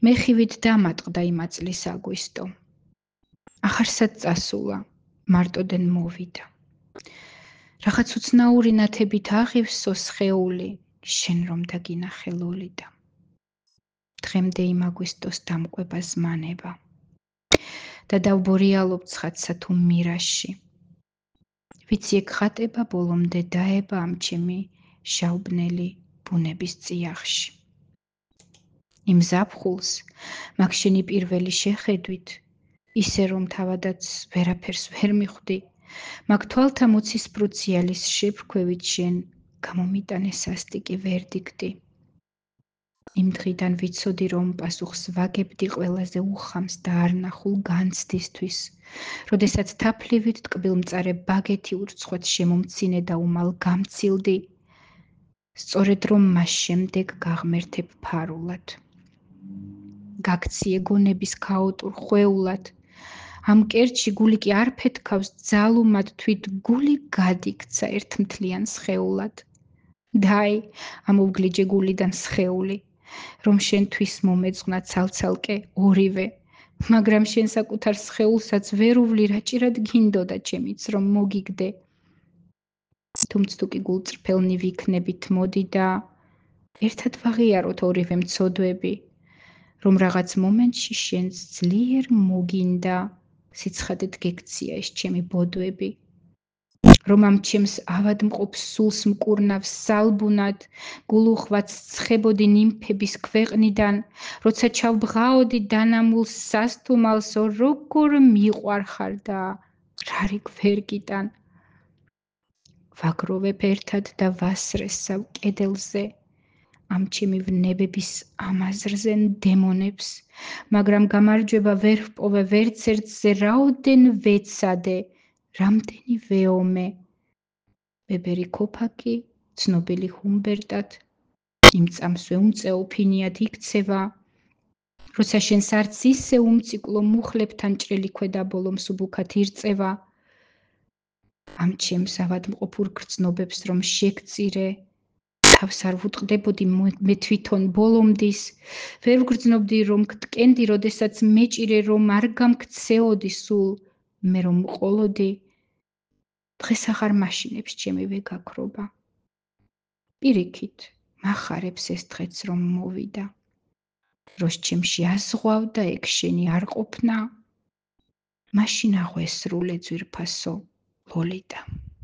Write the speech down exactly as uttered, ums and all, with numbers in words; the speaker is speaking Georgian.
მე ხივით დამატყდა იმ აწლის აგვისტო. ახარსაც წასულა, მარტოდენ მოვიდა. რაღაც უცნაური ნათებით აღივსო სხეული, შენ რომ დაგინახე ლოლიდა. დღემდე იმ აგვისტოს დამკვება ზმანება. და დავბორიალობ ცხადსა თუ მირაში. ვიცი ეგ ხატება ბოლომდე დაება ამ ჩემი შავბნელი ბუნების წიაღში. იმ ზაფხულს, მაგ შენი პირველი შეხედვით, ისე რომ თავადაც ვერაფერს ვერ მიხვდი, მაგ თვალთა მოცისფრო-ციალის შეფრქვევით შენ გამომიტანე სასტიკი ვერდიქტი. იმ დღიდან ვიცოდი, რომ პასუხს ვაგებდი ყველაზე უხამს და არნახულ განცდისთვის, როდესაც თაფლივით ტკბილმწარე ბაგეთი ურცხვად შემომცინე და უმალ გამცილდი, სწორედ რომ მას შემდეგ გაღმერთებ ფარულად. გაქციე გონების ქაოტურ ხვეულად, ამ კერჩი გული კი არ ფეთქავს ძალუმად თვით გული გადიქცა ერთმთლიან სხეულად. დაი, ამოვგლიჯე გულიდან სხეული, რომ შენთვის მომეძღვნა ცალცალკე ორივე, მაგრამ შენ საკუთარ სხეულსაც ვერ უვლი რაჭირად გინდოდა ჩემიც რომ მოგიგდე. თუმც თუ კი გულწრფელნი ვიქნებით მოდი და ერთად ვაღიაროთ ორივე მცოდვები, რომ რაღაც მომენტში შენს ძლიერ მოგინდა სიცხადედ გექცია ეს ჩემი ბოდვები, რომ ამ ჩემს ავადმყოფ სულს მკურნავს სალბუნად, გულუხვაც ცხებოდი ნიმფების ქვეყნიდან, როცა ჩავბღაოდი დანამულ სასთუმალსო, როგორ მიყვარხარ და რარი გვერგიდან. ვაგროვებ ერთად და ვასრეს სავ კედელზე, ამ ჩემი ვნებების ამაზრზე დემონებს, მაგრამ გამარჯვება ვერ ვპოვე ვერც ერთზე, რაოდენ ვეცადე, რამდენი ვეომე. ბებერი ქოფაკი, ცნობილი ჰუმბერტად, იმ წამსვე უმწეო ფინიად იქცევა, როცა შენს არც ისე უმციკლო მუხლებთან ჭრელი ქვედა ბოლომ სუბუქად ირწევა, ამ ჩემს ავადმყოფურ გრძნობებს რომ შეგწირე, თავს არ ვუტყდებოდი მე თვითონ ბოლომდის, ვერ ვგრძნობდი რომ გტკენდი, როდესაც მეჭირე რომ არ გამქცეოდი სულ, მე რომ მყოლოდი, დღეს აღარ მაშინებს ჩემი ვეგაქრობა. პირიქით, მახარებს ეს დღეც რომ მოვიდა, როს ჩემში აზღვავდა ეგ შენი არ ყოფნა, მაშინ აღვესრულე ძვირფასო ლოლიდა.